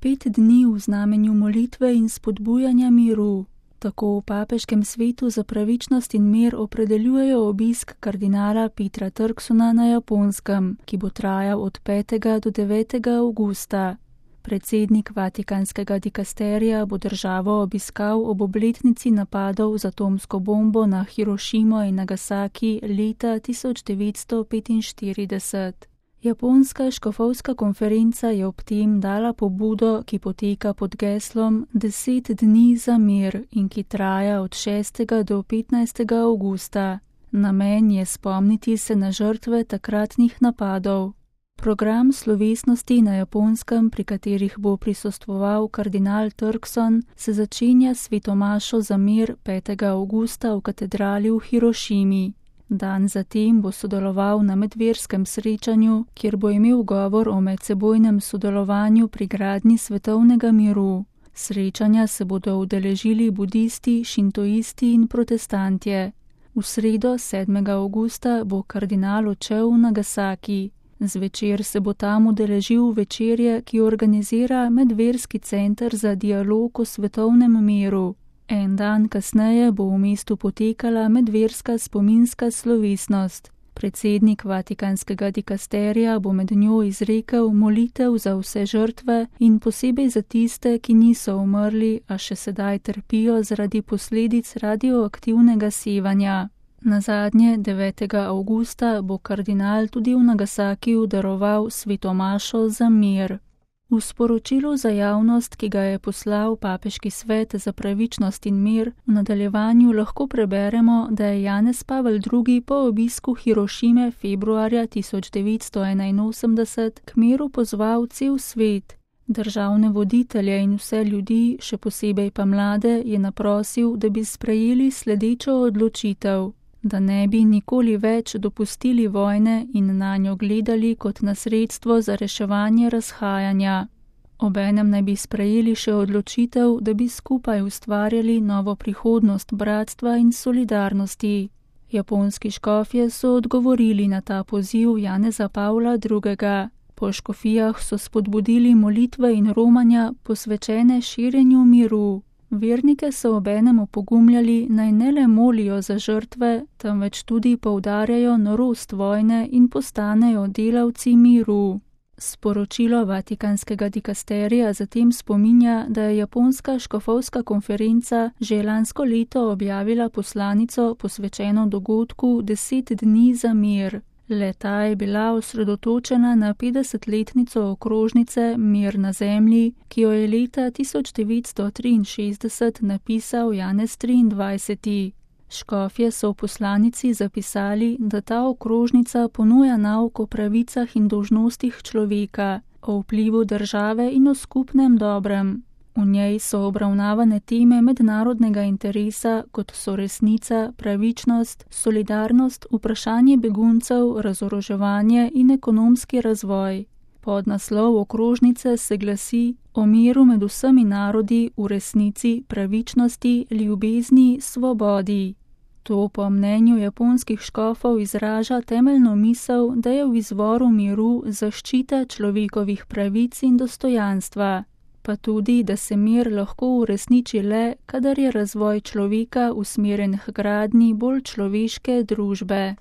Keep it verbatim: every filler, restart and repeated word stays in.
Pet dni v znamenju molitve in spodbujanja miru. Tako v papeškem svetu za pravičnost in mir opredeljujejo obisk kardinala Petera Turksona na Japonskem, ki bo trajal od petega do devetega avgusta. Predsednik vatikanskega dikasterija bo državo obiskal ob obletnici napadov z atomsko bombo na Hirošimo in Nagasaki leta tisoč devetsto petinštirideset. Japonska škofovska konferenca je ob tem dala pobudo, ki poteka pod geslom Deset dni za mir in ki traja od šestega do petnajstega avgusta. Namen je spomniti se na žrtve takratnih napadov. Program slovesnosti na Japonskem, pri katerih bo prisostvoval kardinal Turkson, se začenja s svetomašo za mir petega avgusta v katedrali v Hirošimi. Dan zatem bo sodeloval na medverskem srečanju, kjer bo imel govor o medsebojnem sodelovanju pri gradnji svetovnega miru. Srečanja se bodo udeležili budisti, šintoisti in protestantje. V sredo sedmega avgusta bo kardinal odšel v Nagasaki. Zvečer se bo tam udeležil večerje, ki organizira Medverski center za dialog o svetovnem miru. En dan kasneje bo v mestu potekala medverska spominska slovesnost. Predsednik vatikanskega dikasterija bo med njo izrekel molitev za vse žrtve in posebej za tiste, ki niso umrli, a še sedaj trpijo zaradi posledic radioaktivnega sevanja. Nazadnje devetega avgusta bo kardinal tudi v Nagasakiju daroval svetomašo za mir. V sporočilu za javnost, ki ga je poslal Papeški svet za pravičnost in mir, v nadaljevanju lahko preberemo, da je Janez Pavel drugi po obisku Hirošime februarja tisoč devetsto enainosemdeset k miru pozval cel svet. Državne voditelje in vse ljudi, še posebej pa mlade, je naprosil, da bi sprejeli sledečo odločitev, da ne bi nikoli več dopustili vojne in nanjo gledali kot na sredstvo za reševanje razhajanja. Obenem naj bi sprejeli še odločitev, da bi skupaj ustvarjali novo prihodnost bratstva in solidarnosti. Japonski škofje so odgovorili na ta poziv Janeza Pavla drugega. Po škofijah so spodbudili molitve in romanja, posvečene širjenju miru. Vernike so obenem opogumljali, naj ne le molijo za žrtve, temveč tudi poudarjajo norost vojne in postanejo delavci miru. Sporočilo vatikanskega dikasterija zatem spominja, da je Japonska škofovska konferenca že lansko leto objavila poslanico posvečeno dogodku Deset dni za mir. Le-ta je bila osredotočena na petdesetletnico okrožnice Mir na zemlji, ki jo je leta tisoč devetsto triinšestdeset napisal Janez triindvajseti. Škofje so v poslanici zapisali, da ta okrožnica ponuja nauk o pravicah in dolžnostih človeka, o vplivu države in o skupnem dobrem. V njej so obravnavane teme mednarodnega interesa, kot so resnica, pravičnost, solidarnost, vprašanje beguncev, razoroževanje in ekonomski razvoj. Podnaslov okrožnice se glasi o miru med vsemi narodi v resnici, pravičnosti, ljubezni, svobodi. To po mnenju japonskih škofov izraža temeljno misel, da je v izvoru miru zaščita človekovih pravic in dostojanstva, pa tudi, da se mir lahko uresniči le, kadar je razvoj človeka usmerjen k gradnji bolj človeške družbe.